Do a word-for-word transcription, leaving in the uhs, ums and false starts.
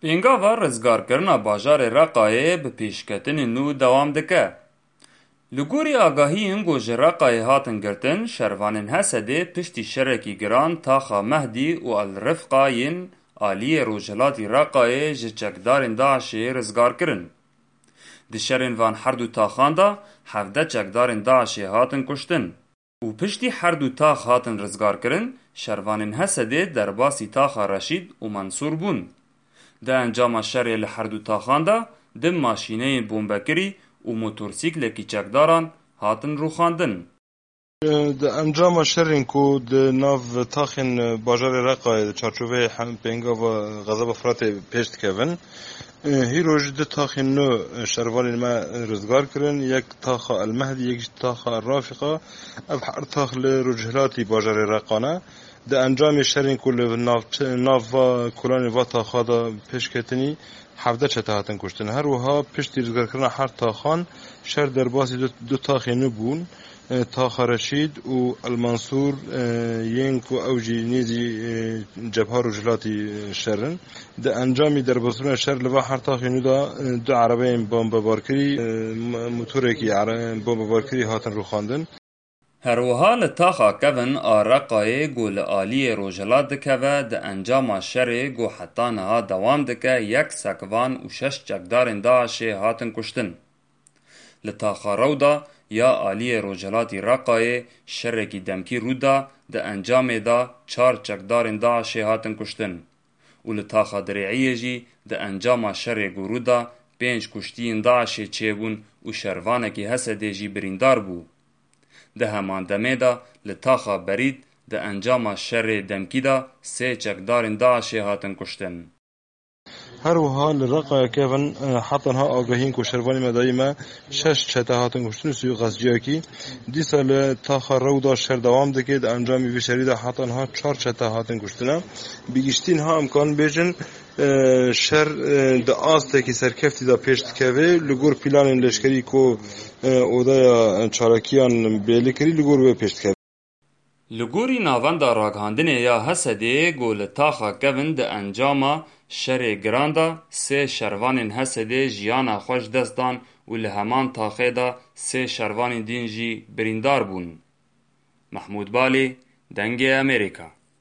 Pêngava rizgarkirina bajarê Reqayê bi pêşketinên nû dewam dike. Li gorî agahiyên ku ji Reqayê hatin girtin, şervanên Hesedê piştî şerekî giran taxa Mehdî û El Rifqa yên aliyê rojhilatî Reqayê ji çekdarên DAIŞê rizgar kirin. Di şerên van her du taxan de hevdeh çekdarên DAIŞê hatin kuştin. Û piştî her du tax hatin rizgarkirin, şervanên Hesedê derbasî taxa Reşîd û Mensûr bûn. Di encama şerê li her du taxan de du maşîneyên bombekirî û motorsîklekî çekdaran hatin rûxandin. Di encama şerên ku di nav taxên bajarê Reqayê di çarçoveyê hem pêngava Xezeba Firatê pêş dikevin, hîro jî du taxên nû şervanên me rizgar kirin, yek taxa El Mehdî, yek jî taxa El Rafîqa. Ev her tax li rojhilatî bajarê Reqa ne. Di encamê şerên ku li nav, nava kolanê va taxa de pêşketinî, hevdeh çete hatin kuştin. Her wiha piştî rizgarkirina her taxan şer derbasî du, du taxê nû bûn. E, Taxa Reşîd û El Mansûr, e, yên ku ew jî nêzî, e, cebha rojhilatî, e, şer in. Di encamî derbasbûna şer li va her taxê nû de, e, du erebeyên bombebarkirî, e, m-, motorekî ere-, bombebarkirî hatin rûxandin. Her wiha li taxa kevin a Reqayê ku li aliyê rojhilat dikeve, di encama şerê ku heta niha dewam dike, yek sekvan û şeş çekdarên DAIŞê hatin kuştin. Li taxa Rewda ya aliyê rojhilatî Reqayê şerekî demkî rû da, di encamê de çar çekdarên DAIŞê hatin kuştin. Û li taxa Dirêiyê jî di encama şerê ku rû da pênc kuştiyên DAIŞê çêbûn û şervanekî Hesedê jî birîndar bû. Di heman demê de li taxa Berîd di encama şerê demkî de sê çekdarên DAIŞê hatin kuştin. Her wiha li Reqaya kevin, e, heta niha agahiyên ku şervanê me dayî me, şeş çete hatin kuştin û sî û qasciyakî. Dîsa li taxa Rewda şer dewam dike. Di encamî vî şerî de heta niha çar çete hatin kuştine. Bi giştî niha em karin bêjin, e, şer, e, di astekî serkeftî de pêş dikeve. Li gor planên leşkerî ku, e, odeya çalakiyan bêli kirî, li gor wê pêş dikeve. Li gorî Navenda Ragihandinê ya Hesedê ku li taxa kevin di encama şerê giran de sê şervanên Hesedê jiyana xwe ji dest dan û li heman taxê de sê şervanên din jî birîndar bûn. Mehmûd Balê, Dengê Amerîka.